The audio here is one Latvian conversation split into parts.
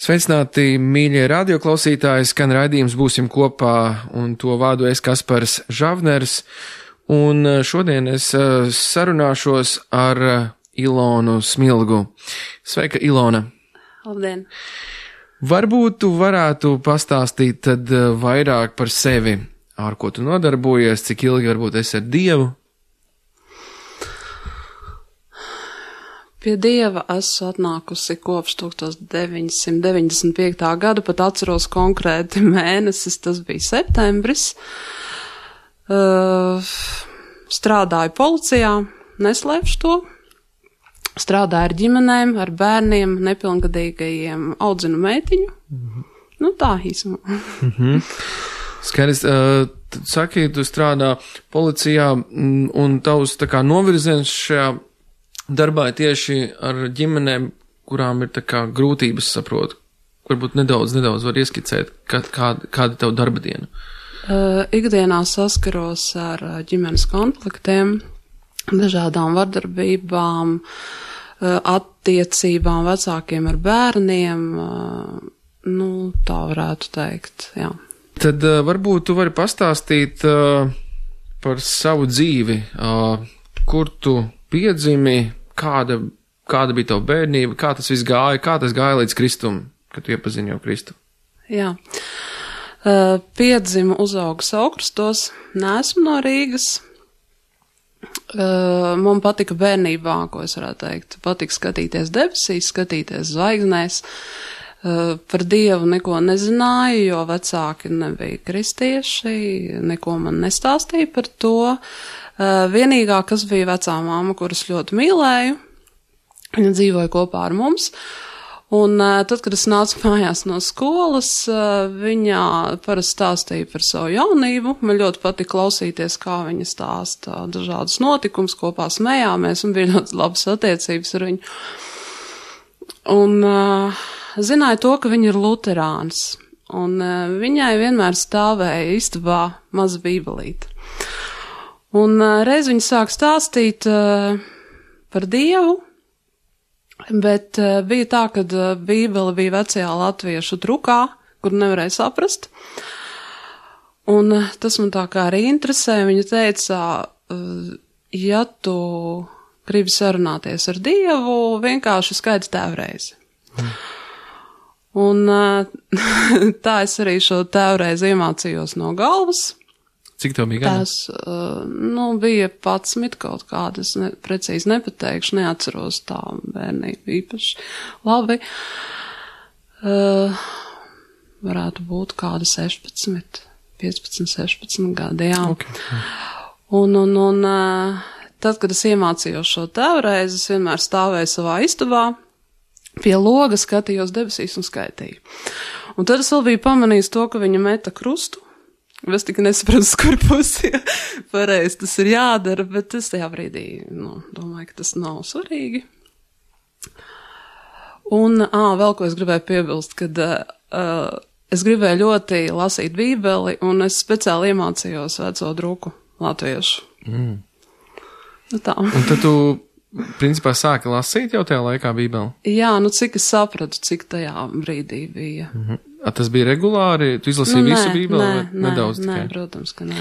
Sveicināti, mīļie radioklausītāji, skan raidījums Būsim kopā, un to vādu es Kaspars Žavners, un šodien es sarunāšos ar Ilonu Smilgu. Sveika, Ilona! Labdien! Varbūt tu varētu pastāstīt tad vairāk par sevi, ar ko tu nodarbojies, cik ilgi varbūt esi ar Dievu? Pie Dieva esmu atnākusi kopš 1995. gada, pat atceros konkrēti mēnesis, tas bija septembris. Strādāju policijā, neslēpšu to. Strādāju ar ģimenēm, ar bērniem, nepilngadīgajiem, audzinu meitiņu. Nu tā īsumā. Skaidrs, tu saki, tu strādā policijā, un tavs tā kā novirziens šajā darbā ir tieši ar ģimenēm, kurām ir tā kā grūtības, saprotu. Varbūt nedaudz var ieskicēt, kāda tev darba diena. Ikdienā saskaros ar ģimenes konfliktiem, dažādām vardarbībām, attiecībām vecākiem ar bērniem, nu tā varētu teikt, jā. Tad varbūt tu vari pastāstīt par savu dzīvi, kur tu piedzimi, kāda bija tava bērnība, kā tas viss gāja, kā tas gāja līdz Kristum, kad tu iepazini jau Kristu? Jā. Piedzimu, uzaugu Saukrastos, neesmu no Rīgas. Man patika bērnībā, ko es varētu teikt, patika skatīties debesīs, skatīties zvaigznēs. Par Dievu neko nezināju, jo vecāki nebija kristieši, neko man nestāstīja par to. Vienīgā, kas bija vecā māma, kuras ļoti mīlēju, viņa dzīvoja kopā ar mums, un tad, kad es nācu mājās no skolas, viņa parasti stāstīja par savu jaunību, man ļoti patika klausīties, kā viņa stāsta dažādus notikumus, kopā smējāmies, un bija ļoti labas attiecības ar viņu. Un zināju to, ka viņa ir luterāns, un viņai vienmēr stāvēja istabā maza bībelīte. Un reiz viņa sāk stāstīt par Dievu, bet bija tā, ka bībele bija vecajā latviešu drukā, kur nevarēja saprast. Un tas man tā kā arī interesē. Viņa teica, ja tu gribi sarunāties ar Dievu, vienkārši skaidri tēvreizi. Un tā es arī šo tēvreizi iemācījos no galvas. Cik tev bija gadi? Tas, bija 11 kaut kāda, es precīzi nepateikšu, neatceros tā bērnību īpaši labi. Varētu būt kāda 15, 16 gadi, jā. Okay. Un tad, kad es iemācījos šo tēvreizi, es vienmēr stāvēju savā istabā, pie loga skatījos debesīs un skaitīju. Un tad es vēl biju pamanījis to, ka viņa meta krustu. Es tikai nesapratu, kur pusi pareizi tas ir jādara, bet es tajā brīdī, domāju, ka tas nav svarīgi. Un, vēl ko es gribēju piebilst, kad es gribēju ļoti lasīt bībeli, un es speciāli iemācījos veco druku latviešu. Nu tā. Un tad tu, principā, sāki lasīt jau tajā laikā bībeli? Jā, cik es sapratu, cik tajā brīdī bija. Tas bija regulāri? Tu izlasīji visu bībeli? Nedaudz tikai? Nē, protams, ka nē.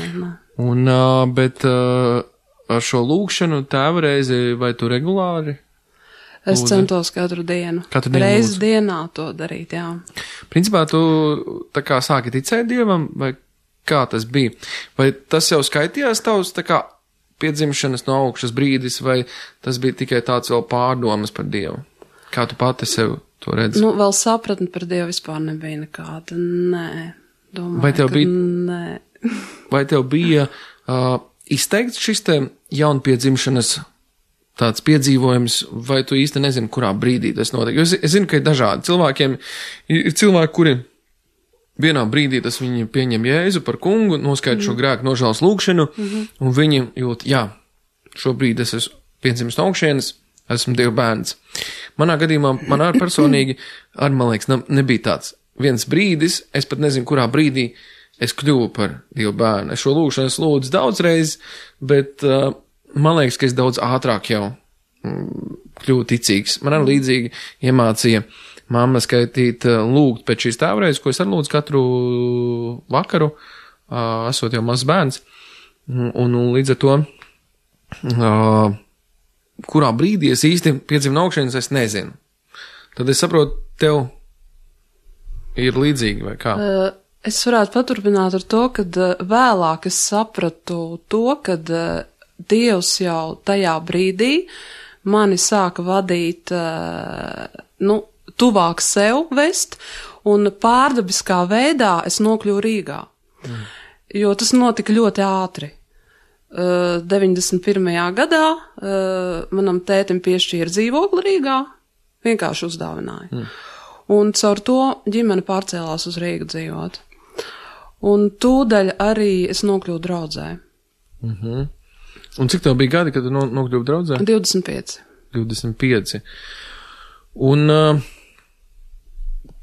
Un, bet ar šo lūkšanu tēvreizi vai tu regulāri? Es centos katru dienu. Reizi dienā to darīt, jā. Principā tu tā kā sāki ticēt Dievam, vai kā tas bija? Vai tas jau skaitījās tavs tā kā piedzimšanas no augšas brīdis, vai tas bija tikai tāds vēl pārdomas par Dievu? Kā tu pati sev to redzi? Vēl sapratni par Dievu vispār nebija nekāda. Nē, domāju, vai tev bija, nē. Vai tev bija izteikts šis te jaunpiedzimšanas tāds piedzīvojums, vai tu īsti nezini, kurā brīdī tas notiek? Es zinu, ka ir dažādi cilvēkiem, ir cilvēki, kuri vienā brīdī tas viņi pieņem Jēzu par kungu, noskaidro šo grēku nožēlas lūkšanu, un viņi jūt, jā, šobrīd es esmu piedzimis no augšienes, esmu Dieva bērns. Manā gadījumā, man arī personīgi, man liekas, nebija tāds viens brīdis, es pat nezinu, kurā brīdī es kļuvu par Dieva bērnu. Es šo lūgšanu es lūdzu daudz reiz, bet man liekas, ka es daudz ātrāk jau kļuvu ticīgs. Man arī līdzīgi iemācīja mamma skaitīt, lūgt pēc šīs tēvreizes, ko es arī lūdzu katru vakaru, esot jau mazs bērns. Un līdz ar to, kurā brīdī es īsti piedzimu no augšienes, es nezinu. Tad es saprotu, tev ir līdzīgi vai kā? Es varētu paturpināt ar to, kad vēlāk es sapratu to, kad Dievs jau tajā brīdī mani sāka vadīt, tuvāk sev vest, un pārdabiskā veidā es nokļuvu Rīgā. Jo tas notika ļoti ātri. 91. gadā manam tētim piešķīra dzīvokli Rīgā, vienkārši uzdāvināja. Un caur to ģimene pārcēlās uz Rīgu dzīvot. Un tūdaļ arī es nokļuvu draudzē. Un cik tev bija gadi, kad tu nokļuvi draudzē? 25. 25. Un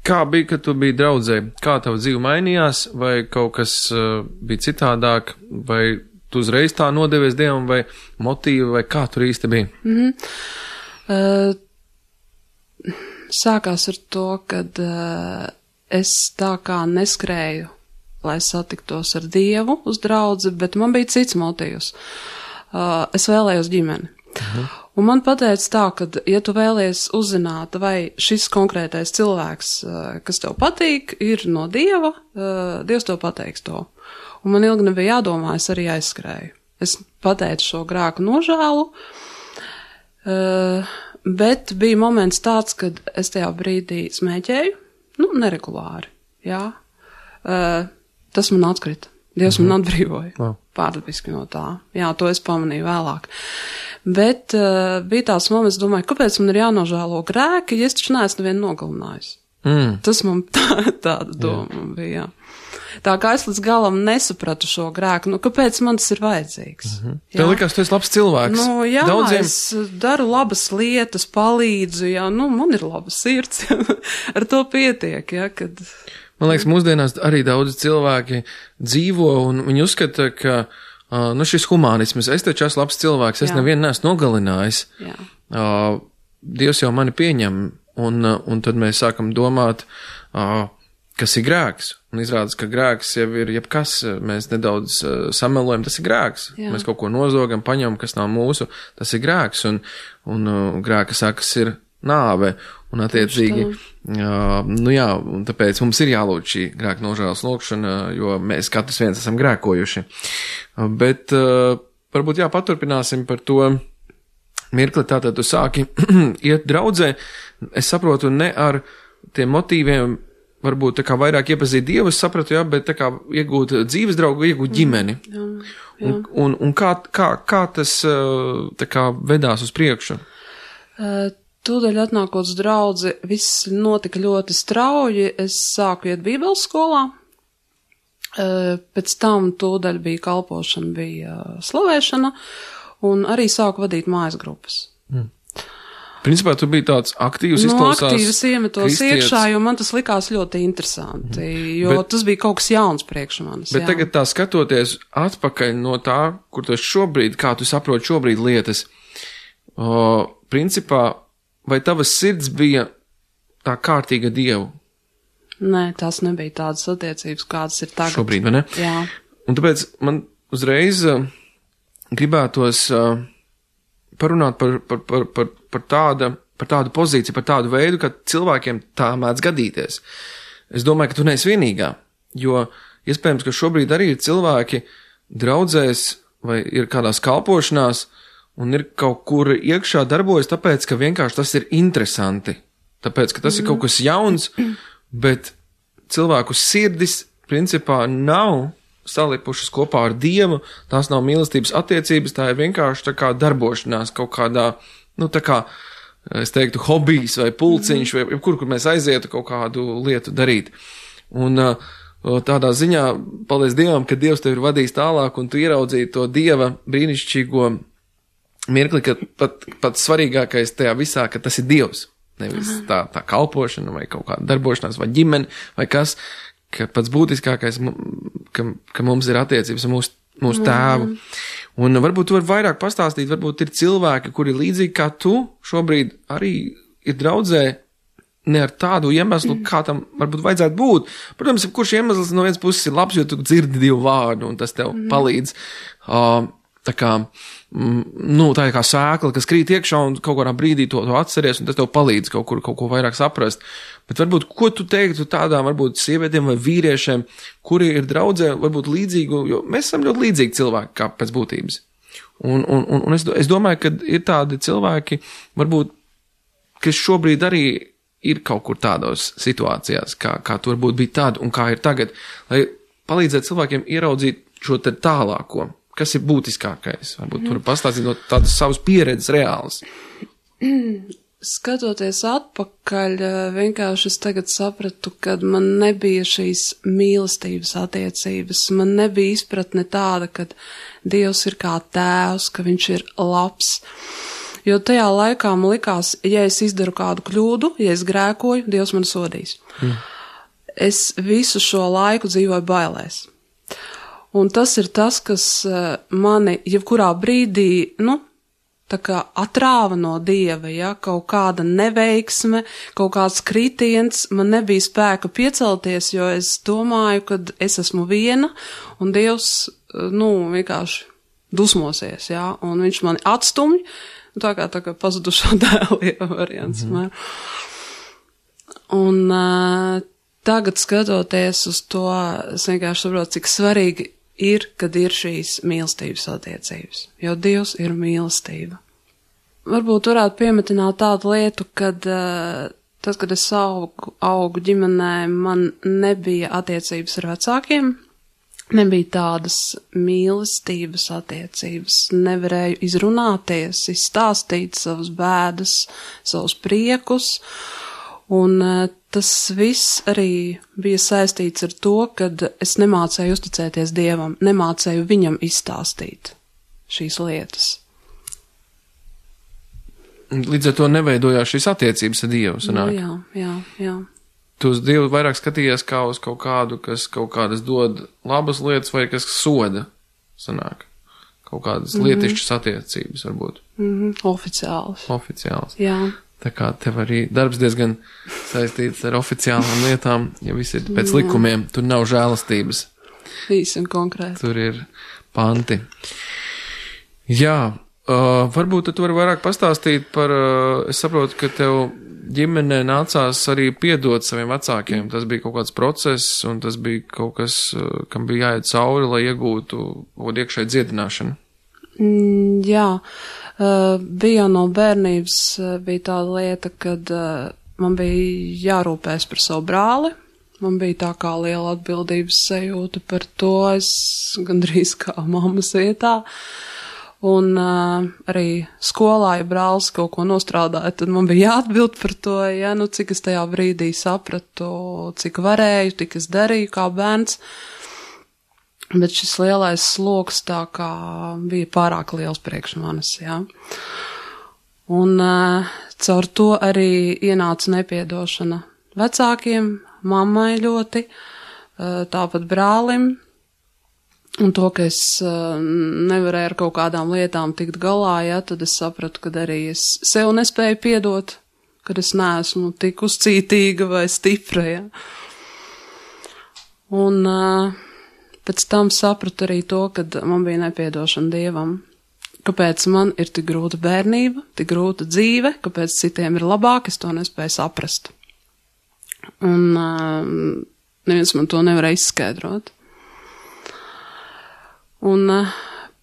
kā bija, kad tu biji draudzē? Kā tava dzīve mainījās? Vai kaut kas bija citādāk? Vai tu uzreiz tā nodevies Dievam? Vai motīvi? Vai kā tur īsti bija? Sākās ar to, kad es tā kā neskrēju, lai satiktos ar Dievu uz draudzi, bet man bija cits motīvs. Es vēlējos ģimeni. Un man pateica tā, ka, ja tu vēlies uzzināt, vai šis konkrētais cilvēks, kas tev patīk, ir no Dieva, Dievs tev pateiks to. Un man ilgi nebija jādomā, es arī aizskrēju. Es pateicu šo grēku nožēlu, bet bija moments tāds, kad es tajā brīdī smēķēju, neregulāri, jā. Tas man atkrita. Dievs man atbrīvoja. Pārdabiski no tā. Jā, to es pamanīju vēlāk. Bet bija tāds moments, domāju, kāpēc man ir jānožēlo grēki, ja es taču neesmu nevienu nogalinājis. Tas man tāda doma bija, jā. Tā kā es līdz galam nesapratu šo grēku, kāpēc man tas ir vajadzīgs? Tev likās, tu esi labs cilvēks. Jā, Daudziem... es daru labas lietas, palīdzu, jā, man ir laba sirds, ar to pietiek, jā, kad... Man liekas, mūsdienās arī daudzi cilvēki dzīvo un viņi uzskata, ka šis humanisms, es taču esmu labs cilvēks, es nevienu neesmu nogalinājis. Dievs jau mani pieņem, un tad mēs sākam domāt, kas ir grēks. Un izrādās, ka grēks jau ir jebkas, mēs nedaudz samelojam, tas ir grēks. Jā. Mēs kaut ko nozogam, paņemam, kas nav mūsu, tas ir grēks, un grēka sakas ir nāve. Un attiecīgi, un tāpēc mums ir jālūdz šī grēka nožēlas lūgšana, jo mēs katrs viens esam grēkojuši. Bet varbūt paturpināsim par to mirkli, tātad tu sāki iet draudzē, es saprotu, ne ar tiem motīviem, varbūt tā kā vairāk iepazīt Dievu, es sapratu, bet tā kā iegūt dzīves draugu, iegūt ģimeni. Jā. Un kā tas tā kā vedās uz priekšu? Tūdaļ atnākot uz draudzi, viss notika ļoti strauji. Es sāku iet bībeles skolā, pēc tam tūdaļ bija kalpošana, bija slavēšana, un arī sāku vadīt mājas grupas. Principā tu biji tāds aktīvs, izklausās aktīvs iemetos iekšā, jo man tas likās ļoti interesanti, jo tas bija kaut kas jauns priekš manis. Bet tagad tā skatoties atpakaļ no tā, kur tu šobrīd, kā tu saproti šobrīd lietas, principā, vai tavas sirds bija tā kārtīga Dievu? Nē, tās nebija tādas attiecības, kādas ir tagad. Šobrīd, vai ne? Jā. Un tāpēc man uzreiz gribētos parunāt par tādu pozīciju, par tādu veidu, ka cilvēkiem tā mēdz gadīties. Es domāju, ka tu neesi vienīgā, jo iespējams, ka šobrīd arī ir cilvēki draudzēs vai ir kādās kalpošanās, un ir kaut kur iekšā darbojas, tāpēc, ka vienkārši tas ir interesanti. Tāpēc, ka tas ir kaut kas jauns, bet cilvēku sirdis, principā, nav salipušas kopā ar Dievu, tās nav mīlestības attiecības, tā ir vienkārši tā kā darbošanās kaut kādā, tā kā, es teiktu, hobijs vai pulciņš, vai kur mēs aizietu kaut kādu lietu darīt. Un tādā ziņā, paldies Dievam, ka Dievs tev ir vadījis tālāk, un tu ieraudzīji to Dieva brīnišķīgo mirkli, ka pats svarīgākais tajā visā, ka tas ir Dievs, nevis tā kalpošana vai kaut kāda darbošanās vai ģimene vai kas, ka pats būtiskākais, ka mums ir attiecības ar mūsu tēvu. Un varbūt tu vari vairāk pastāstīt, varbūt ir cilvēki, kuri līdzīgi kā tu šobrīd arī ir draudzē, ne ar tādu iemeslu, kā tam varbūt vajadzētu būt. Protams, kurš iemesls no vienas puses ir labs, jo tu dzirdi Dievu vārdu, un tas tev palīdz. Tā kā, tā ir kā sēkla, kas krīt iekšā, un kaut kādā brīdī to atceries, un tas tev palīdz kaut ko vairāk saprast. Bet varbūt, ko tu teiktu tādām, varbūt sievietēm vai vīriešiem, kuri ir draudzē, varbūt līdzīgu, jo mēs esam ļoti līdzīgi cilvēki, kā pēc būtības. Un es domāju, ka ir tādi cilvēki, varbūt, kas šobrīd arī ir kaut kur tādos situācijās, kā tur varbūt bija tad un kā ir tagad, lai palīdzētu cilvēkiem ieraudzīt šo te tālāko, kas ir būtiskākais. Varbūt tur pastāstīt no tādas savas pieredzes reālas. Skatoties atpakaļ, vienkārši es tagad sapratu, kad man nebija šīs mīlestības attiecības, man nebija izpratne tāda, kad Dievs ir kā tēvs, ka viņš ir labs. Jo tajā laikā man likās, ja es izdaru kādu kļūdu, ja es grēkoju, Dievs man sodīs. Es visu šo laiku dzīvoju bailēs. Un tas ir tas, kas mani jebkurā brīdī, tā kā atrāva no Dieva, ja, kaut kāda neveiksme, kaut kāds kritiens, man nebija spēka piecelties, jo es domāju, ka es esmu viena, un Dievs, vienkārši dusmosies, ja, un viņš mani atstumj, tā kā pazudušo dēlu variants. Un tagad skatoties uz to, es vienkārši saprotu, cik svarīgi ir, kad ir šīs mīlestības attiecības, jo Dievs ir mīlestība. Varbūt varētu piemetināt tādu lietu, kad tad, kad es augu ģimenē, man nebija attiecības ar vecākiem, nebija tādas mīlestības attiecības, nevarēju izrunāties, izstāstīt savas bēdas, savus priekus, un tas viss arī bija saistīts ar to, kad es nemācēju uzticēties Dievam, nemācēju viņam izstāstīt šīs lietas. Līdz ar to neveidojās šīs attiecības ar Dievu, sanāk? Jā. Tu uz Dievu vairāk skatījies kā uz kaut kādu, kas kaut kādas dod labas lietas vai kas soda, sanāk? Kaut kādas lietišķas attiecības, varbūt. Oficiāls. Jā. Tā kā tev arī darbs diezgan saistīts ar oficiālām lietām, ja viss ir pēc likumiem, tur nav žēlastības. Īsi un konkrēti. Tur ir panti. Jā, varbūt tu vari vairāk pastāstīt par, es saprotu, ka tev ģimenē nācās arī piedot saviem vecākiem. Tas bija kaut kāds process, un tas bija kaut kas, kam bija jāiet cauri, lai iegūtu iekšēju dziedināšanu. Jā, bija no bērnības bija tāda lieta, kad man bija jārūpēs par savu brāli. Man bija tā kā liela atbildības sajūta par to, es gandrīz kā mammas vietā. Un arī skolā, ja brālis kaut ko nostrādāja, tad man bija jāatbild par to, ja, cik es tajā brīdī sapratu, cik varēju, tik es darīju kā bērns. Bet šis lielais sloks tā kā bija pārāk liels priekš manis, jā. Un caur to arī ienāca nepiedošana vecākiem, mammai ļoti, tāpat brālim. Un to, ka es nevarēju ar kaut kādām lietām tikt galā, ja, tad es sapratu, ka arī es sev nespēju piedot, kad es neesmu tik uzcītīga vai stipra, ja. Un pēc tam sapratu arī to, kad man bija nepiedošana Dievam. Kāpēc man ir tik grūta bērnība, tik grūta dzīve, kāpēc citiem ir labāk, es to nespēju saprast. Un neviens man to nevarēja izskaidrot. Un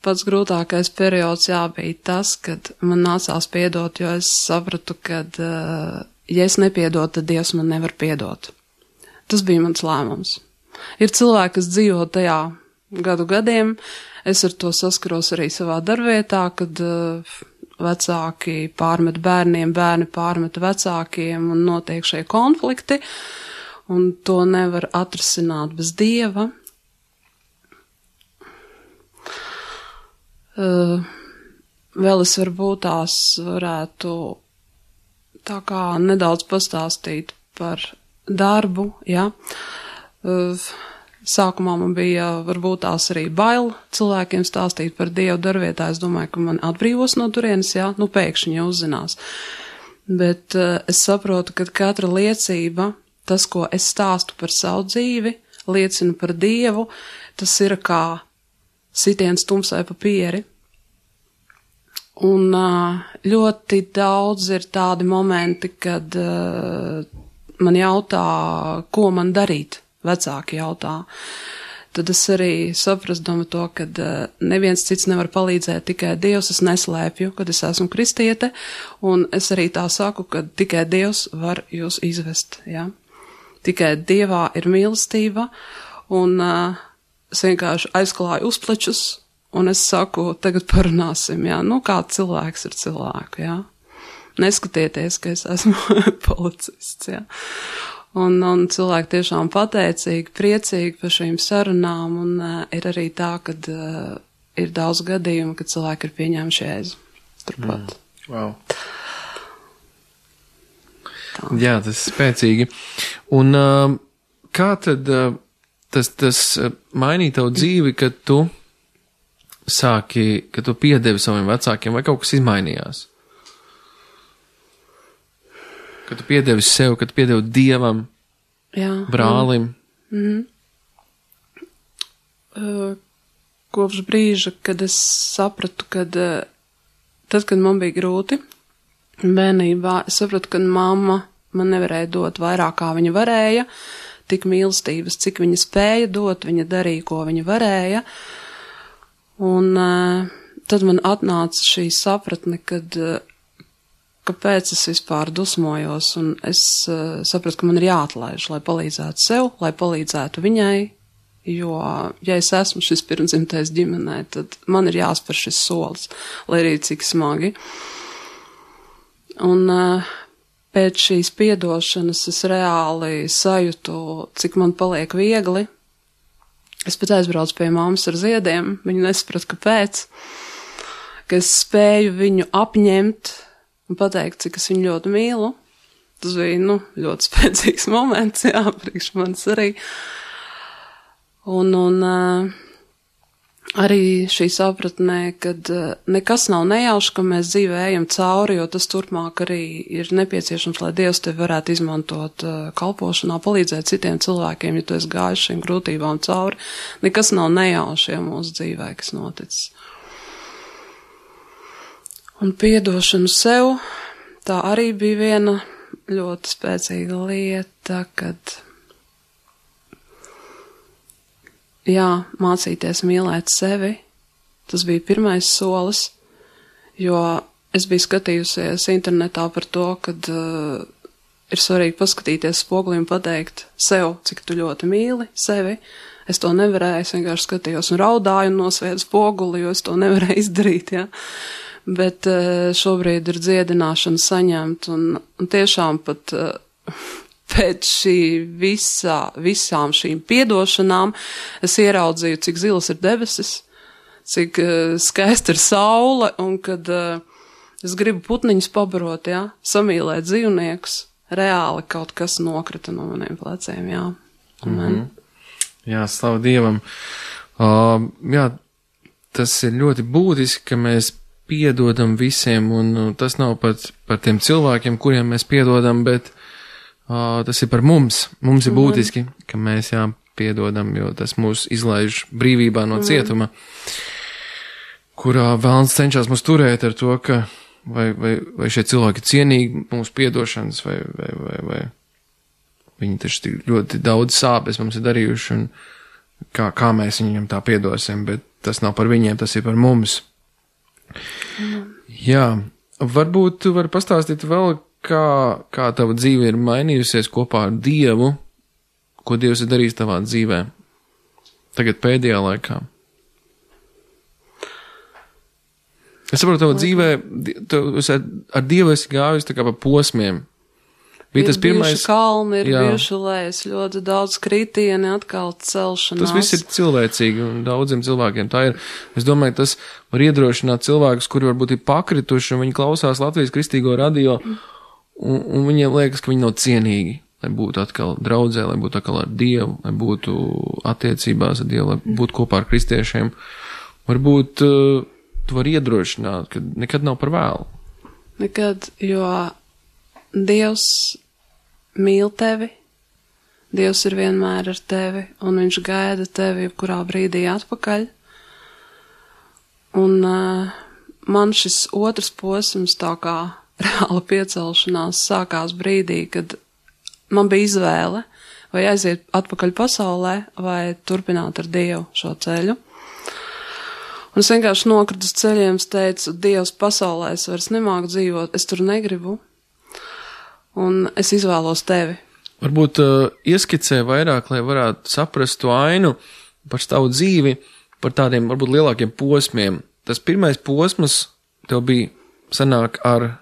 pats grūtākais periods bija tas, kad man nācās piedot, jo es sapratu, kad ja es nepiedotu, tad Dievs man nevar piedot. Tas bija mans lēmums. Ir cilvēki, kas dzīvo tajā gadiem, es ar to saskaros arī savā darbvietā, kad vecāki pārmet bērniem, bērni pārmet vecākiem un notiek šie konflikti, un to nevar atrisināt bez Dieva. Vēl es varbūt tās varētu tā kā nedaudz pastāstīt par darbu, ja. Sākumā man bija varbūt tās arī bail cilvēkiem stāstīt par Dievu darbvietā. Es domāju, ka man atbrīvos no turienes, ja, pēkšņi jau uzzinās. Bet es saprotu, ka katra liecība, tas, ko es stāstu par savu dzīvi, liecinu par Dievu, tas ir kā sitiens tumsai pa pieri. Un ļoti daudz ir tādi momenti, kad man jautā, ko man darīt, vecāki jautā. Tad es arī saprast domu to, ka neviens cits nevar palīdzēt, tikai Dievs, es neslēpju, kad es esmu kristiete, un es arī tā saku, ka tikai Dievs var jūs izvest, ja? Tikai Dievā ir mīlestība, un es vienkārši aizklāju uzplečus, un es saku, tagad parunāsim, jā, nu kā cilvēks ir cilvēku, jā. Neskatieties, ka es esmu policists, jā. Un cilvēki tiešām pateicīgi, priecīgi par šīm sarunām, un ir arī tā, kad ir daudz gadījumu, kad cilvēki ir pieņēmuši Jēzu. Turpat. Wow. Tā. Jā, tas ir spēcīgi. Un kā tad tas mainīja tavu dzīvi, kad tu kad tu piedevi saviem vecākiem, vai kaut kas izmainījās? Kad tu piedevi sev, kad tu piedevi Dievam, jā, brālim? Kopš brīža, kad es sapratu, kad tad, kad man bija grūti bērnībā, es sapratu, ka mamma man nevarēja dot vairāk, kā viņa varēja, tik mīlestības, cik viņa spēja dot, viņa darīja, ko viņa varēja. Un tad man atnāca šī sapratne, kāpēc es vispār dusmojos, un es sapratu, ka man ir jāatlaiž, lai palīdzētu sev, lai palīdzētu viņai, jo, ja es esmu šis pirmdzimtais ģimenē, tad man ir jāspēr šis solis, lai arī cik smagi. Un pēc šīs piedošanas es reāli sajūtu, cik man paliek viegli. Es pat aizbraucu pie mammas ar ziediem, viņa nesaprata, kāpēc, ka es spēju viņu apņemt un pateikt, cik es viņu ļoti mīlu. Tas bija, ļoti spēcīgs moments, jā, priekš manis arī. Un arī šī sapratnē, kad nekas nav nejauši, ka mēs dzīvē ejam cauri, jo tas turpmāk arī ir nepieciešams, lai Dievs tevi varētu izmantot kalpošanā, palīdzēt citiem cilvēkiem, ja tu esi gājis šīm grūtībām cauri. Nekas nav nejauši, ja mūsu dzīvē, kas noticis. Un piedošanu sev, tā arī bija viena ļoti spēcīga lieta, kad jā, mācīties mīlēt sevi, tas bija pirmais solis, jo es biju skatījusies internetā par to, kad ir svarīgi paskatīties spogulī un pateikt sev, cik tu ļoti mīli sevi. Es to nevarēju, es vienkārši skatījos un raudāju un nosviedu spoguli, jo es to nevarēju izdarīt, jā. Bet šobrīd ir dziedināšana saņemt, un tiešām pat pēc visām šīm piedošanām es ieraudzīju, cik zilas ir debesis, cik skaista ir saule, un kad es gribu putniņus pabarot, jā, samīlēt dzīvniekus, reāli kaut kas nokrita no maniem pleciem, jā. Amen. Jā, slavu Dievam. Jā, tas ir ļoti būtiski, ka mēs piedodam visiem, un tas nav pat par tiem cilvēkiem, kuriem mēs piedodam, bet tas ir par mums. Mums ir būtiski, ka mēs piedodam, jo tas mūs izlaiž brīvībā no cietuma, kurā vēlns cenšas mūs turēt ar to, ka vai šie cilvēki ir cienīgi mūsu piedošanas, vai viņi taču ļoti daudz sāpes mums ir darījuši, un kā mēs viņiem tā piedosim, bet tas nav par viņiem, tas ir par mums. Jā, varbūt tu vari pastāstīt vēl, kā tava dzīve ir mainījusies kopā ar Dievu, ko Dievs ir darījis tavā dzīvē, tagad pēdējā laikā. Es saprotu, tavā dzīvē, ar Dievu esi gājis tā kā pa posmiem. Bija tas pirmais... bijuši kalni, ir bijuši lēs, ļoti daudz kritieni, atkal celšanās. Tas viss ir cilvēcīgi, un daudziem cilvēkiem tā ir. Es domāju, tas var iedrošināt cilvēkus, kuri varbūt ir pakrituši, un viņi klausās Latvijas kristīgo radio, un viņiem liekas, ka viņi nav cienīgi, lai būtu atkal draudzē, lai būtu atkal ar Dievu, lai būtu attiecībās ar Dievu, lai būtu kopā ar kristiešiem. Varbūt tu vari iedrošināt, ka nekad nav par vēlu. Nekad, jo Dievs mīl tevi, Dievs ir vienmēr ar tevi, un viņš gaida tevi jebkurā brīdī atpakaļ. Un man šis otrs posms, tā kā reāla piecelšanās, sākās brīdī, kad man bija izvēle, vai aiziet atpakaļ pasaulē, vai turpināt ar Dievu šo ceļu. Un es vienkārši nokritu uz ceļiem, es teicu, Dievs, pasaulē es vairs nemāku dzīvot, es tur negribu, un es izvēlos tevi. Varbūt ieskicē vairāk, lai varētu saprast to ainu par tavu dzīvi, par tādiem varbūt lielākiem posmiem. Tas pirmais posms tev bija sanāk ar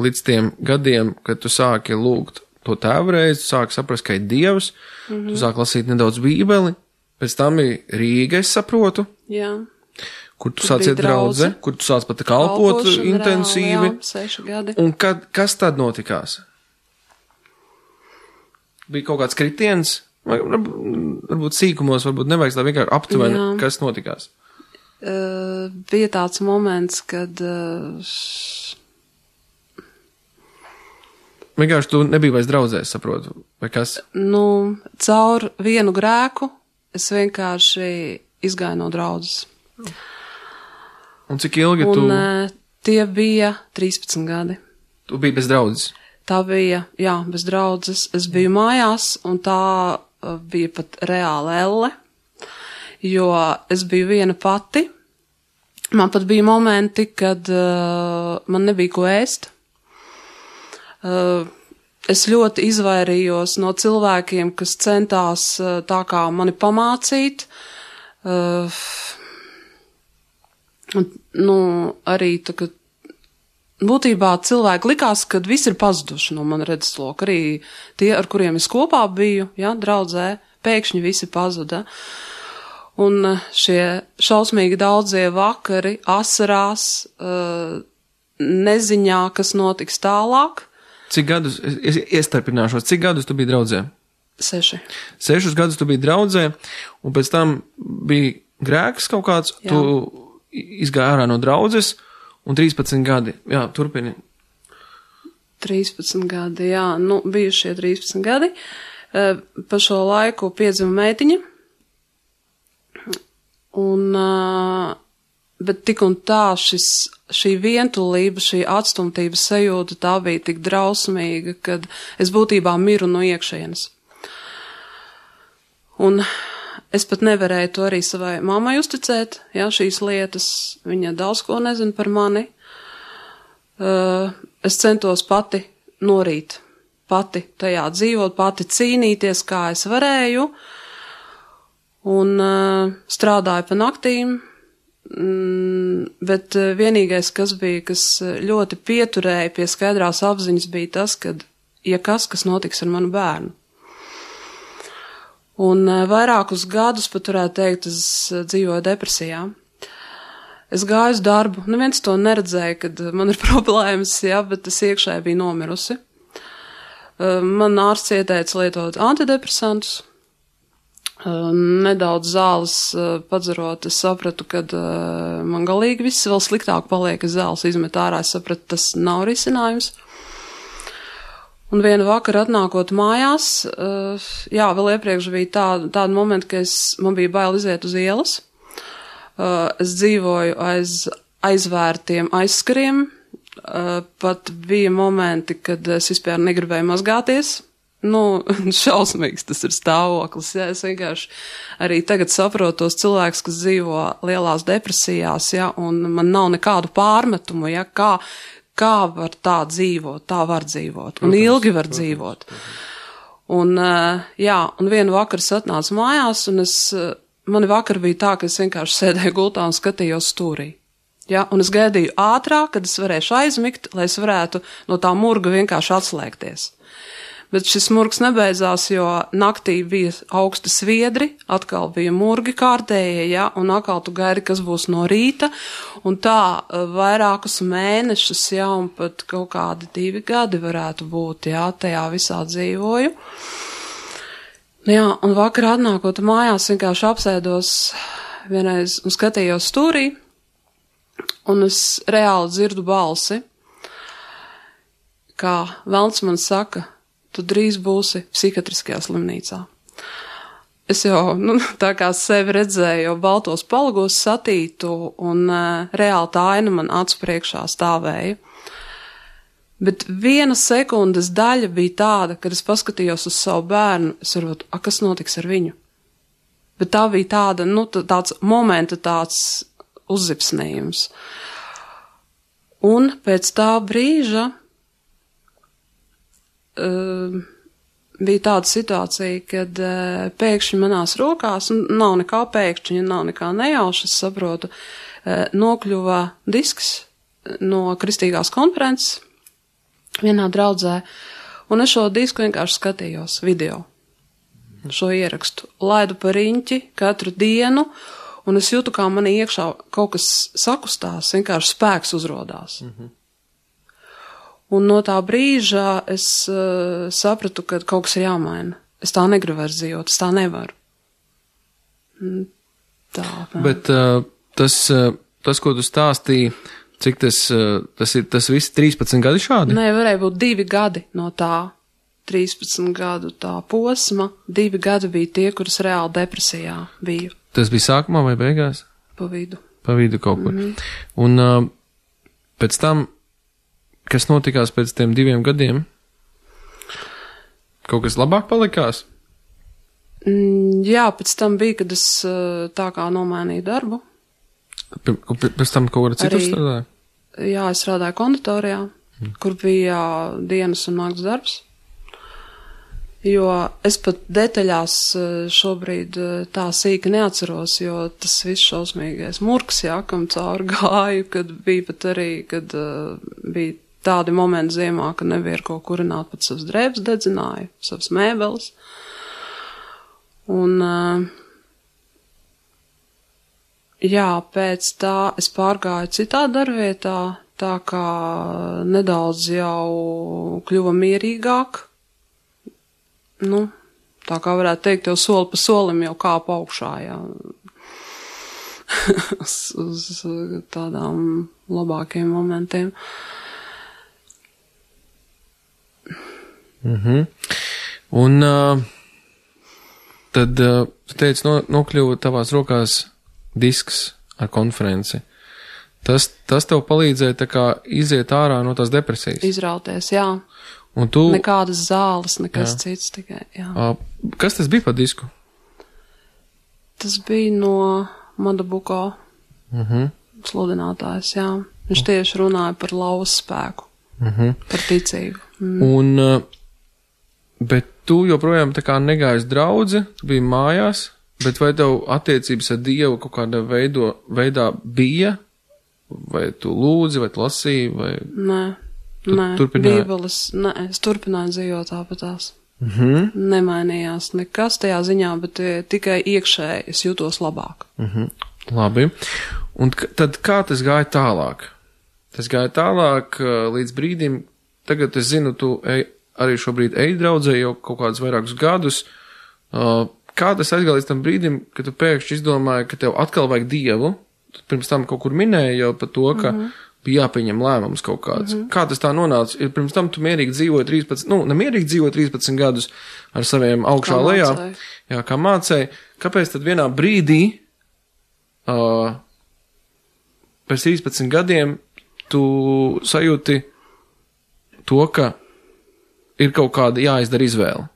līdz tiem gadiem, kad tu sāki lūgt to tēvreiz, tu sāki saprast, ka ir Dievs, tu sāki lasīt nedaudz Bībeli, pēc tam ir Rīga, es saprotu. Jā. Kur tu sāc iet draudze, kur tu sāc pat kalpot intensīvi. Jā, 6 gadi. Un kas tad notikās? Bija kaut kāds kritiens, varbūt sīkumos, varbūt nevajag tā vienkārši aptuveni, kas notikās. Bija tāds moments, kad vienkārši tu nebija vairs draudzē, saprotu, vai kas? Caur vienu grēku es vienkārši izgāju no draudzes. Un cik ilgi tu? Tie bija 13 gadi. Tu biji bez draudzes? Tā bija, jā, bez draudzes. Es biju mājās, un tā bija pat reāla elle, jo es biju viena pati. Man pat bija momenti, kad man nebija ko ēst. Es ļoti izvairījos no cilvēkiem, kas centās tā kā mani pamācīt. Arī tā, ka būtībā cilvēki likās, ka viss ir pazuduši no mana redzesloka. Arī tie, ar kuriem es kopā biju, ja, draudzē, pēkšņi visi pazuda. Un šie šausmīgi daudzie vakari, asarās, neziņā, kas notiks tālāk. Cik gadus, es iestarpināšos, cik gadus tu biji draudzē? 6. 6 gadus tu biji draudzē, un pēc tam bija grēks kaut kāds, jā. Tu izgāji ārā no draudzes, un 13 gadi, jā, turpini. 13 gadi, jā, bija šie 13 gadi. Pa šo laiku piedzima meitiņa, bet tik un tā šī vientulība, šī atstumtības sajūta, tā bija tik drausmīga, kad es būtībā miru no iekšienes. Un es pat nevarēju to arī savai mammai uzticēt, jā, šīs lietas, viņa daudz ko nezina par mani. Es centos pati norīt, pati tajā dzīvot, pati cīnīties, kā es varēju, un strādāju pa naktīm, bet vienīgais, kas ļoti pieturēja pie skaidrās apziņas, bija tas, kad, ja kas notiks ar manu bērnu. Un vairākus gadus, pat varētu teikt, es dzīvoju depresijā. Es gāju uz darbu, neviens to neredzēja, kad man ir problēmas, jā, bet es iekšēji biju nomirusi. Man ārsts ieteica lietot antidepresantus. Nedaudz zāles padzerot, es sapratu, kad man galīgi viss vēl sliktāk paliek, es zāles izmetu ārā, es sapratu, tas nav risinājums. Un vienu vakaru atnākot mājās, jā, vēl iepriekš bija tāda momenta, ka man bija bail iziet uz ielas. Es dzīvoju aiz aizvērtiem aizskariem, pat bija momenti, kad es vispār negribēju mazgāties. Šausmīgs tas ir stāvoklis, jā, es vienkārši arī tagad saprotu tos cilvēkus, kas dzīvo lielās depresijās, jā, un man nav nekādu pārmetumu, jā, kā var tā dzīvot, tā var dzīvot, un ilgi var dzīvot. Un, jā, un vienu vakaru es atnācu mājās, un mani vakar bija tā, ka es vienkārši sēdēju gultā un skatījos stūrī. Ja, un es gaidīju ātrāk, kad es varēšu aizmigt, lai es varētu no tā murga vienkārši atslēgties. Bet šis murgs nebeidzās, jo naktī bija augsti sviedri, atkal bija murgi kārtējie, ja, un atkal tu gaidi, kas būs no rīta, un tā vairākus mēnešus, ja, un pat kaut kādi 2 gadi varētu būt, ja, tajā visā dzīvoju. Jā, un vakarā atnākot mājās vienkārši apsēdos vienreiz un skatījos stūrī, un es reāli dzirdu balsi, kā velns man saka, tu drīz būsi psihiatriskajā slimnīcā. Es jau, tā kā sevi redzēju, jau baltos palagos satītu, un reāli tā aina man acu priekšā stāvēja. Bet 1 sekundes daļa bija tāda, kad es paskatījos uz savu bērnu, es varbūt, kas notiks ar viņu? Bet tā bija tāda, tāds momenta tāds uzzipsnījums. Un pēc tā brīža bija tāda situācija, kad pēkšņi manās rokās, nav nekā pēkšņi, nav nekā nejauša, es saprotu, nokļuva disks no kristīgās konferences vienā draudzē, un es šo disku vienkārši skatījos video, šo ierakstu, laidu pa riņķi katru dienu, un es jūtu, kā manī iekšā kaut kas sakustās, vienkārši spēks uzrodās. Un no tā brīža es sapratu, ka kaut kas ir jāmaina. Es tā negribu vairs dzīvot, es tā nevaru. Tā. Bet tas, ko tu stāstīji, cik tas viss 13 gadi šādi? Nē, varēja būt 2 gadi no tā 13 gadu tā posma. 2 gadi bija tie, kuras reāli depresijā biju. Tas bija sākumā vai beigās? Pa vidu. Pa vidu kaut kur. Un pēc tam, kas notikās pēc tiem 2 gadiem? Kaut kas labāk palikās? Jā, pēc tam bija, kad es tā kā nomainīju darbu. Pēc tam kaut kādā citur strādāja? Jā, es strādāju konditorijā, kur bija dienas un nakts darbs. Jo es pat detaļās šobrīd tā sīki neatceros, jo tas viss šausmīgais murks, jā, kam cauri gāju, kad bija pat arī, kad bija tādi momenti ziemā, ka nebija ar ko kurināt, pat savas drēbes dedzināju, savas mēbeles. Un jā, pēc tā es pārgāju citā darbvietā, tā kā nedaudz jau kļuva mierīgāk. Tā kā varētu teikt, jau soli pa solim jau kāpa augšā, jā. uz tādām labākiem momentiem. Un tad tu teici, nokļuva tavās rokās disks ar konferenci. Tas tev palīdzēja tā kā iziet ārā no tās depresijas? Izrauties, jā. Un tu... Nekādas zāles, nekas cits tikai, jā. Kas tas bija par disku? Tas bija no Madabuko sludinātājs, jā. Viņš tieši runāja par lauvas spēku, par ticību. Un, bet tu joprojām tā kā negājies draudzi, tu biji mājās, bet vai tev attiecības ar Dievu kaut kādā veidā bija? Vai tu lūdzi, vai tu lasīji, vai... Nē, Bībeles, es turpināju dzīvot tāpatās. Nemainījās nekas tajā ziņā, bet tikai iekšēji es jūtos labāk. Labi. Un tad kā tas gāja tālāk? Tas gāja tālāk līdz brīdim, tagad es zinu, tu arī šobrīd ej draudzē jau kaut kādus vairākus gadus. Kā tas aizgāja līdz tam brīdim, kad tu pēkšņi izdomāji, ka tev atkal vajag Dievu? Tu pirms tam kaut kur minēji jau par to, ka bija jāpieņem lēmums kaut kāds. Kā tas tā nonāca? Ir pirms tam tu mierīgi dzīvoji 13, nemierīgi dzīvoji 13 gadus ar saviem augšā lejā. Jā, kā mācēji. Kāpēc tad vienā brīdī, pēc 13 gadiem, tu sajūti to, ka ir kaut kāda jāizdara izvēle?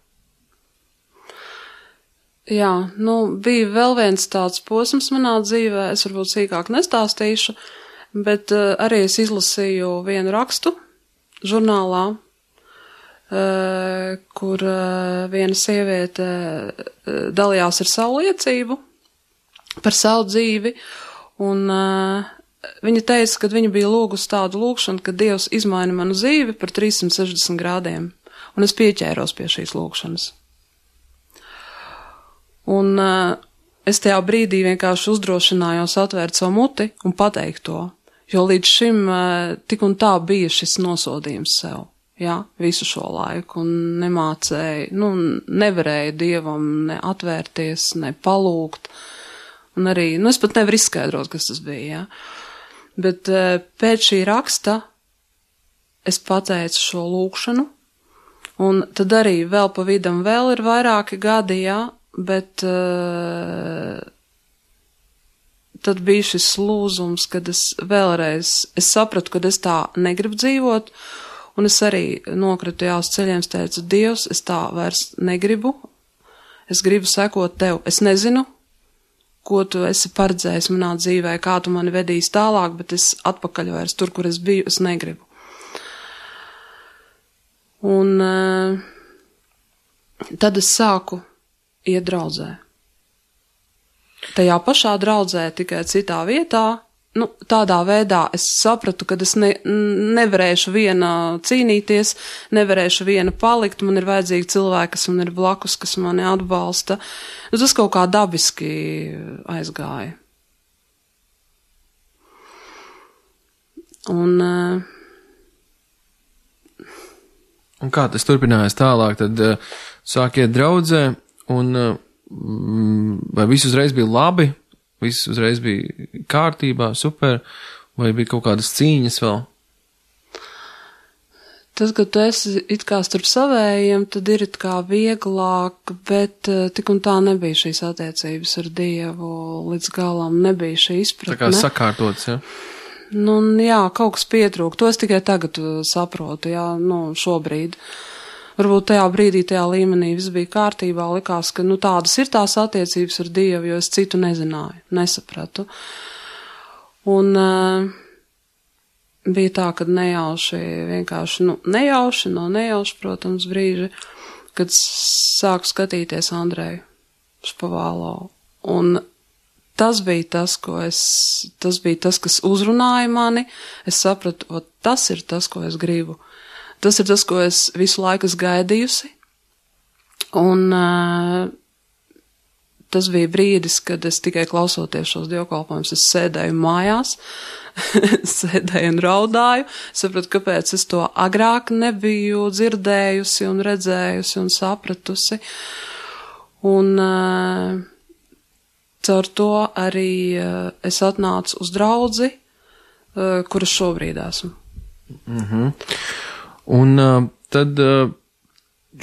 Jā, bija vēl viens tāds posms manā dzīvē, es varbūt sīkāk nestāstīšu, bet arī es izlasīju vienu rakstu žurnālā, kur viena sieviete dalījās ar savu liecību par savu dzīvi, un viņa teica, ka viņa bija lūgusi tādu lūgšanu, ka Dievs izmaina manu dzīvi par 360 grādiem, un es pieķēros pie šīs lūgšanas. Un es tajā brīdī vienkārši uzdrošinājos atvērt savu muti un pateikt to, jo līdz šim tik un tā bija šis nosodījums sev, jā, visu šo laiku, un nemācēju, nevarēju Dievam ne atvērties, ne palūgt, un arī, es pat nevaru izskaidrot, kas tas bija, jā. Bet pēc šī raksta es pateicu šo lūkšanu, un tad arī vēl pa vidam vēl ir vairāki gadi, jā, bet tad bija šis lūzums, kad es sapratu, kad es tā negribu dzīvot, un es arī nokritu jā uz ceļiem, es teicu, Dievs, es tā vairs negribu, es gribu sekot tev, es nezinu, ko tu esi paredzējis manā dzīvē, kā tu mani vedīs tālāk, bet es atpakaļ vairs tur, kur es biju, es negribu. Un tad es sāku iet draudzē. Tajā pašā draudzē, tikai citā vietā, tādā veidā es sapratu, ka es nevarēšu viena cīnīties, nevarēšu viena palikt, man ir vajadzīgi cilvēki, kas man ir blakus, kas mani atbalsta. Tas kaut kā dabiski aizgāja. Un kā tas turpinājās tālāk, tad sāk iet draudzē, un vai viss uzreiz bija labi, viss uzreiz bija kārtībā, super, vai bija kaut kādas cīņas vēl? Tad, kad tu esi it kā starp savējiem, tad ir it kā vieglāk, bet tik un tā nebija šīs attiecības ar Dievu līdz galam, nebija šī izpratne. Tā kā sakārtots, ja? Jā, kaut kas pietrūk. To es tikai tagad saprotu, jā, šobrīd. Varbūt tajā brīdī, tajā līmenī viss bija kārtībā, likās, ka, tādas ir tās attiecības ar Dievu, jo es citu nezināju, nesapratu. Un bija tā, kad nejauši, vienkārši, nejauši, protams, brīži, kad sāku skatīties Andreju Špavālo. Un tas bija tas, kas uzrunāja mani. Es sapratu, tas ir tas, ko es gribu. Tas ir tas, ko es visu laiku esmu gaidījusi. Un tas bija brīdis, kad es tikai klausoties šos dievkalpojumus, es sēdēju mājās, sēdēju un raudāju. Sapratu, kāpēc es to agrāk nebiju dzirdējusi un redzējusi un sapratusi. Un caur to arī es atnācu uz draudzi, kuras šobrīd esmu. Un tad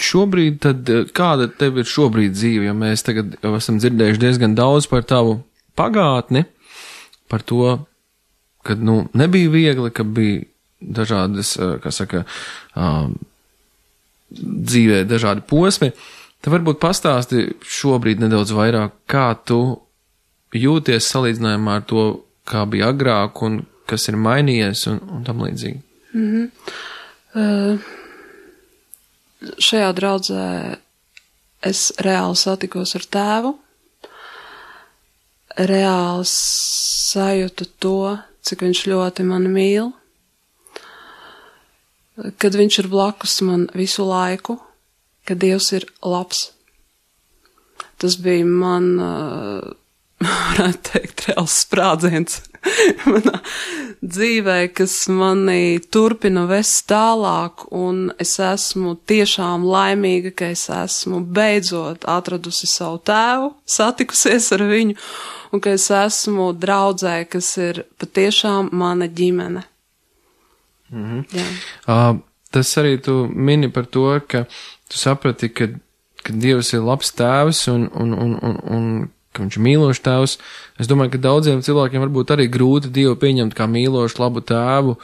šobrīd, kāda tev ir šobrīd dzīve, jo mēs tagad jau esam dzirdējuši diezgan daudz par tavu pagātni, par to, kad, nebija viegli, ka bija dažādas, dzīvē dažādi posmi. Tad varbūt pastāsti šobrīd nedaudz vairāk, kā tu jūties salīdzinājumā ar to, kā bija agrāk un kas ir mainījies un tam līdzīgi. Šajā draudzē es reāli satikos ar tēvu, reāli sajūtu to, cik viņš ļoti mani mīl, kad viņš ir blakus man visu laiku, ka Dievs ir labs. Tas bija man, varētu teikt, reāls sprādziens manā dzīvē, kas mani turpina vest tālāk, un es esmu tiešām laimīga, ka es esmu beidzot atradusi savu tēvu, satikusies ar viņu, un ka es esmu draudzē, kas ir patiešām mana ģimene. Jā. Tas arī tu mini par to, ka tu saprati, ka Dievs ir labs tēvs un ka viņš ir mīlošs tēvs. Es domāju, ka daudziem cilvēkiem varbūt arī grūti Dievu pieņemt kā mīlošu, labu tēvu,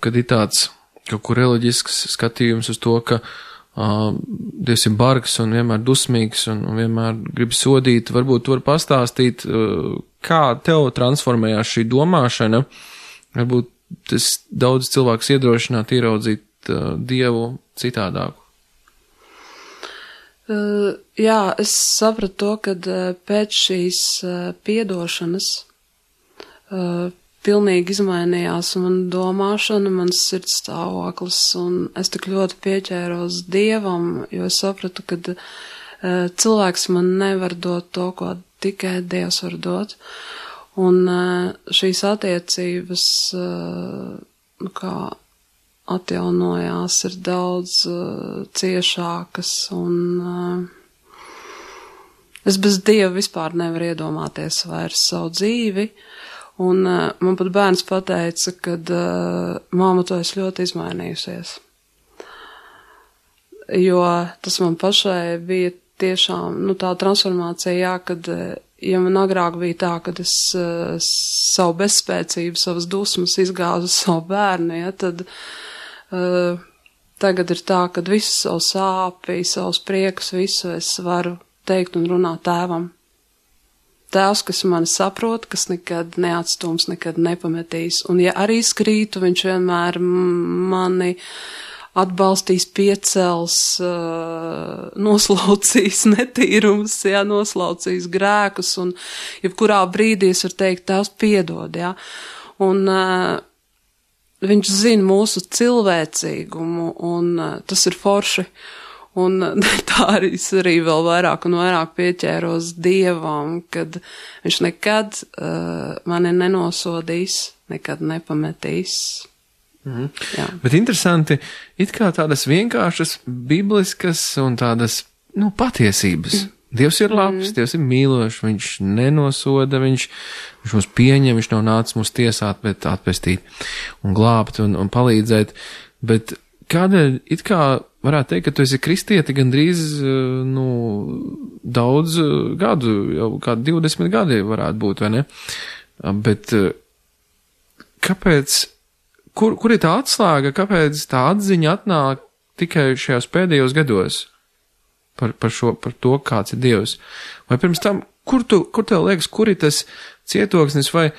kad ir tāds kaut kur reliģisks skatījums uz to, ka Dievs ir bargs un vienmēr dusmīgs un vienmēr grib sodīt. Varbūt tu vari pastāstīt, kā tev transformējās šī domāšana. Varbūt tas daudz cilvēks iedrošināt ieraudzīt Dievu citādāku. Jā, es sapratu to, kad pēc šīs piedošanas pilnīgi izmainījās mana domāšana, mans sirds stāvoklis, un es tik ļoti pieķēros Dievam, jo es sapratu, ka cilvēks man nevar dot to, ko tikai Dievs var dot. Un šīs attiecības, kā atjaunojās, ir daudz ciešākas, un es bez Dieva vispār nevaru iedomāties vairs savu dzīvi, Un man pat bērns pateica, kad māma, tu esi ļoti izmainījusies. Jo tas man pašai bija tiešām, tā transformācija, jā, kad, ja man agrāk bija tā, kad es savu bezspēcību, savas dusmas izgāzu savu bērnu, ja, tad tagad ir tā, kad visu savu sāpī, savus priekus, visu es varu teikt un runāt tēvam. Tēvs, kas mani saprot, kas nekad neatstums, nekad nepametīs. Un ja arī skrītu, viņš vienmēr mani atbalstīs, piecels, noslaucīs netīrumus, jā, noslaucīs grēkus, un jebkurā brīdī es varu teikt, Tēvs piedod, jā. Un viņš zina mūsu cilvēcīgumu, un tas ir forši. Un tā arī vēl vairāk un vairāk pieķēros Dievam, kad viņš nekad mani nenosodīs, nekad nepametīs. Jā. Bet interesanti, it kā tādas vienkāršas bibliskas un tādas, patiesības. Dievs ir labs, Dievs ir mīlošs, viņš nenosoda, viņš mūs pieņem, viņš nav nācis mūs tiesāt, bet atpestīt un glābt un palīdzēt. Bet kādēļ it kā varētu teikt, ka tu esi kristieti gandrīz, daudz gadu, jau kādi 20 gadi varētu būt, vai ne? Bet kāpēc, kur ir tā atslēga, kāpēc tā atziņa atnāk tikai šajos pēdējos gados par to, kāds ir Dievs? Vai pirms tam, kur tev liekas, kur ir tas cietoksnis, vai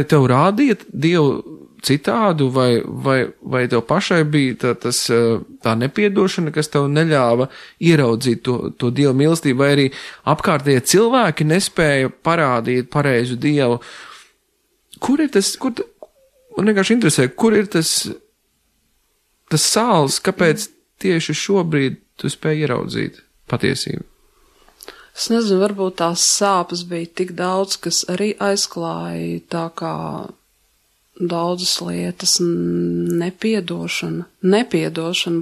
tev rādīja Dievu citādu, vai tev pašai bija tā nepiedošana, kas tev neļāva ieraudzīt to Dieva mīlestību, vai arī apkārtējie cilvēki nespēja parādīt pareizu Dievu? Kur ir tas, man vienkārši interesē, kur ir tas sāls, kāpēc tieši šobrīd tu spēj ieraudzīt patiesību? Es nezinu, varbūt tās sāpes bija tik daudz, kas arī aizklāja tā kā daudzas lietas, nepiedošana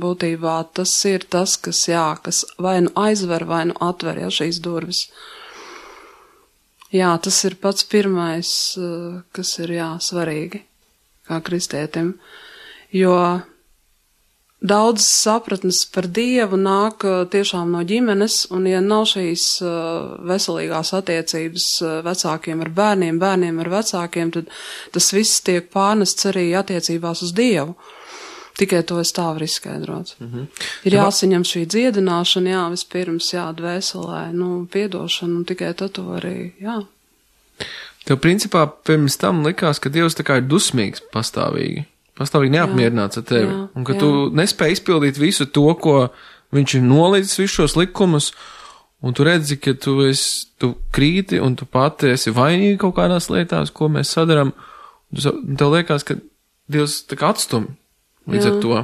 būtībā, tas ir tas, kas vai nu aizver, vai nu atver, šīs durvis. Jā, tas ir pats pirmais, kas ir, svarīgi, kā kristietim, jo daudzas sapratnes par Dievu nāk tiešām no ģimenes, un ja nav šīs veselīgās attiecības vecākiem ar bērniem, bērniem ar vecākiem, tad tas viss tiek pārnests arī attiecībās uz Dievu. Tikai to es tā varu izskaidrot. Ir jāsaņem šī dziedināšana, vispirms, dvēselē, piedošana, un tikai tad to arī, Tev principā pirms tam likās, ka Dievs tā kā ir dusmīgs pastāvīgi neapmierināts ar tevi, un ka tu nespēji izpildīt visu to, ko viņš ir nolicis, visus šos likumus, un tu redzi, ka tu krīti, un tu pati esi vainīgi kaut kādās lietās, ko mēs sadaram, un tev liekas, ka Dievs tā kā atstum līdz ar to,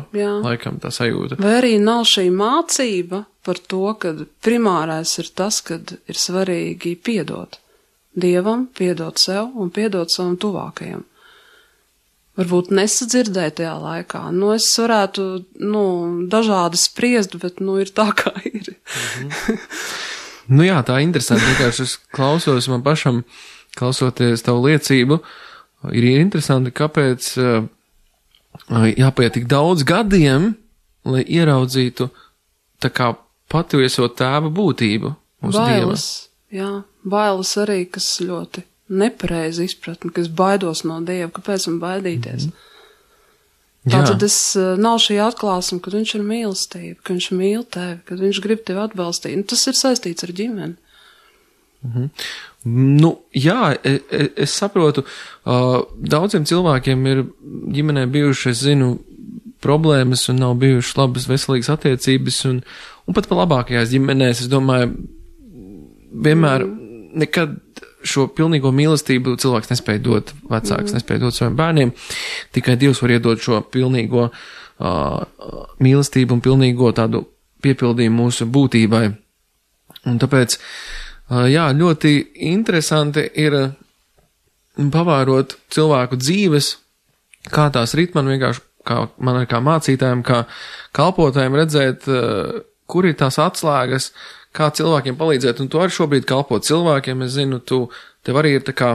laikam tā sajūta. Vai arī nav šī mācība par to, ka primārais ir tas, kad ir svarīgi piedot Dievam, piedot sev un piedot savam tuvākajam. Varbūt nesadzirdēju tajā laikā. Es varētu, dažādi spriest, bet, ir tā, kā ir. Tā interesanti. Vienkārši es klausos man pašam, klausoties tavu liecību, ir interesanti, kāpēc jāpaiet tik daudz gadiem, lai ieraudzītu tā kā patieso tēva būtību uz Dieva. Bailes arī, kas ļoti nepareizi izpratni, ka es baidos no Dieva, kāpēc man baidīties. Tātad nav šī atklāsme, kad viņš ir mīlestība, ka viņš mīl tevi, kad viņš grib tevi atbalstīt. Tas ir saistīts ar ģimeni. Es saprotu, daudziem cilvēkiem ir ģimenē bijuši, es zinu, problēmas un nav bijušas labas veselīgas attiecības un pat pa labākajās ģimenēs, es domāju, vienmēr nekad šo pilnīgo mīlestību cilvēks nespēja dot, vecāks nespēja dot saviem bērniem, tikai Dievs var iedot šo pilnīgo mīlestību un pilnīgo tādu piepildījumu mūsu būtībai. Un tāpēc, ļoti interesanti ir pavērot cilvēku dzīves, kā tās rit man vienkārši, man kā mācītājiem, kā kalpotājiem redzēt, kur ir tās atslēgas, kā cilvēkiem palīdzēt, un tu arī šobrīd kalpo cilvēkiem, es zinu, tev arī ir tā kā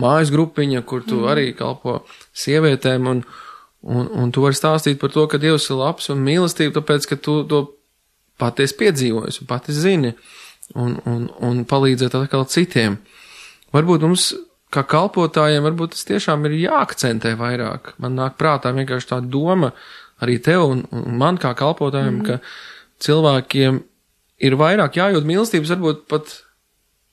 mājas grupiņa, kur tu arī kalpo sievietēm, un tu vari stāstīt par to, ka Dievs ir labs un mīlestība, tāpēc, ka tu to patiesi piedzīvojies un pati zini, un palīdzēt atkal citiem. Varbūt mums, kā kalpotājiem, varbūt tas tiešām ir jāakcentē vairāk. Man nāk prātā vienkārši tā doma arī tev un man kā kalpotājiem, ka cilvēkiem ir vairāk jājūt mīlestības, varbūt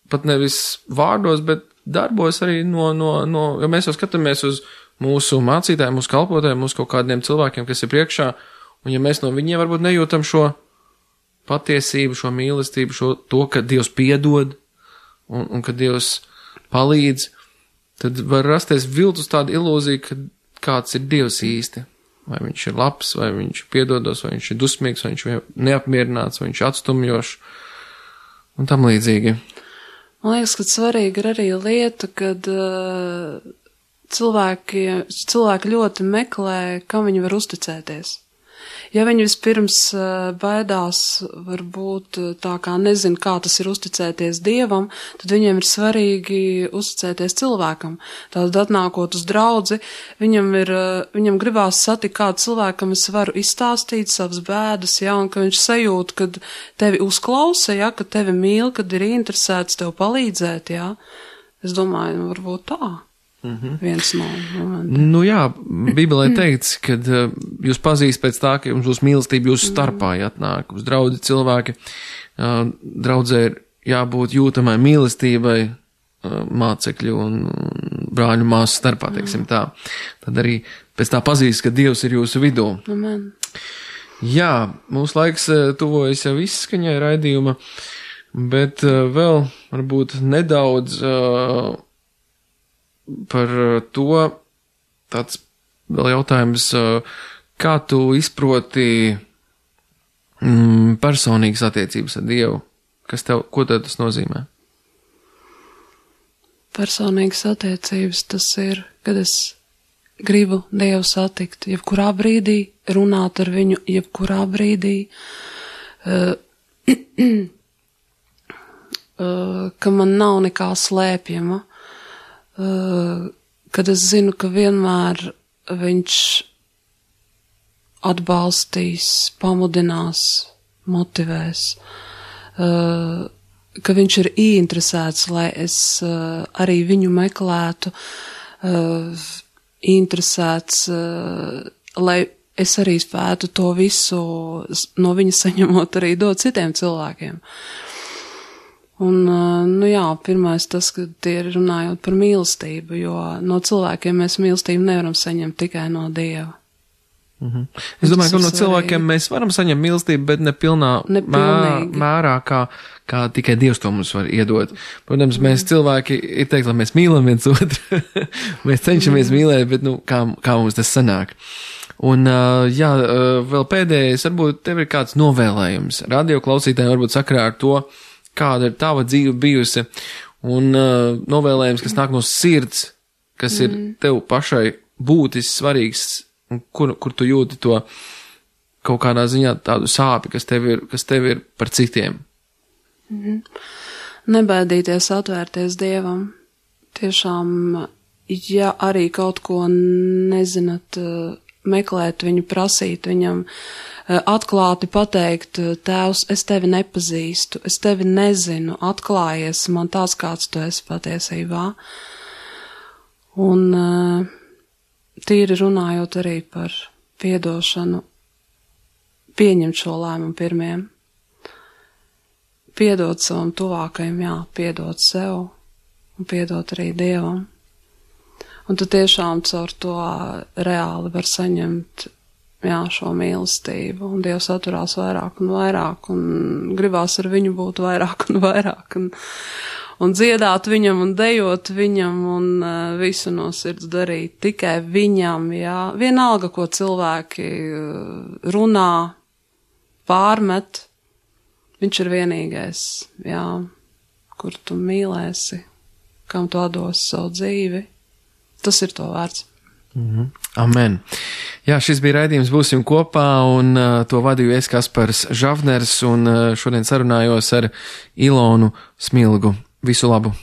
pat nevis vārdos, bet darbos arī jo mēs jau skatāmies uz mūsu mācītājiem, mūsu kalpotājiem, mūsu kaut kādiem cilvēkiem, kas ir priekšā, un ja mēs no viņiem varbūt nejūtam šo patiesību, šo mīlestību, to, ka Dievs piedod, un ka Dievs palīdz, tad var rasties viltus tāda ilūzija, ka kāds ir Dievs īsti. Vai viņš ir labs, vai viņš piedodos, vai viņš ir dusmīgs, vai viņš ir neapmierināts, vai viņš ir atstumjošs, un tam līdzīgi. Man liekas, ka svarīgi ir arī lieta, kad cilvēki ļoti meklē, kam viņi var uzticēties. Ja viņi vispirms baidās, varbūt tā kā nezin, kā tas ir uzticēties Dievam, tad viņiem ir svarīgi uzticēties cilvēkam. Tātad atnākot uz draudzi, viņam gribās satikt kādu cilvēkam, es varu izstāstīt savas bēdas, un ka viņš sajūt, kad tevi uzklausa, ka tevi mīl, kad ir interesēts tev palīdzēt, Es domāju, varbūt tā. Viens no momentiem. Nu jā, Bībelē teikts, kad jūs pazīst pēc tā, ka jums būs mīlestība jūsu starpā atnāk uz draudzi cilvēki. Draudzē ir jābūt jūtamai mīlestībai mācekļu un brāļu māsu starpā, teiksim tā. Tad arī pēc tā pazīst, ka Dievs ir jūsu vidū. Amen. Jā, mūsu laiks tuvojas jau izskaņai raidījuma, bet vēl varbūt nedaudz par to tāds vēl jautājums, kā tu izproti personīgas attiecības ar Dievu? Ko tev tas nozīmē? Personīgas attiecības tas ir, kad es gribu Dievu satikt, jebkurā brīdī, runāt ar viņu, jebkurā brīdī, ka man nav nekā slēpjama, kad es zinu, ka vienmēr viņš atbalstīs, pamudinās, motivēs, ka viņš ir ieinteresēts, lai es arī viņu meklētu, interesēts, lai es arī spētu to visu no viņa saņemot arī dot citiem cilvēkiem. Un, pirmais tas, ka tie ir runājot par mīlestību, jo no cilvēkiem mēs mīlestību nevaram saņemt tikai no Dieva. Es domāju, ka no cilvēkiem mēs varam saņemt mīlestību, bet ne pilnā mērā, kā tikai Dievs to mums var iedot. Protams, mēs cilvēki ir teikt, lai mēs mīlam viens otru, mēs cenšamies mīlēt, bet, kā mums tas sanāk. Un, vēl pēdējais, varbūt tev ir kāds novēlējums. Radio klausītājiem varbūt sakarā ar to, kāda ir tava dzīve bijusi, un novēlējums, kas nāk no sirds, kas ir tev pašai būtis svarīgs, un kur tu jūti to kaut kādā ziņā tādu sāpi, kas tev ir par citiem. Nebaidīties atvērties Dievam. Tiešām, ja arī kaut ko nezināt, meklēt viņu, prasīt viņam, atklāti pateikt, Tēvs, es tevi nepazīstu, es tevi nezinu, atklājies man tāds, kāds tu esi patiesībā. Un tīri runājot arī par piedošanu, pieņemt šo lēmumu pirmiem. Piedot savam tuvākajam, piedot sev un piedot arī Dievam. Un tu tiešām caur to reāli var saņemt šo mīlestību, un Dievs atturās vairāk un vairāk, un gribās ar viņu būt vairāk un vairāk, un dziedāt viņam, un dejot viņam, un visu no sirds darīt tikai viņam, vienalga, ko cilvēki runā, pārmet, viņš ir vienīgais, kur tu mīlēsi, kam tu atdos savu dzīvi, tas ir to vērts. Amen. Jā, šis bija raidījums Būsim kopā, un to vadīju es, Kaspars Žavners, un šodien sarunājos ar Ilonu Smilgu. Visu labu!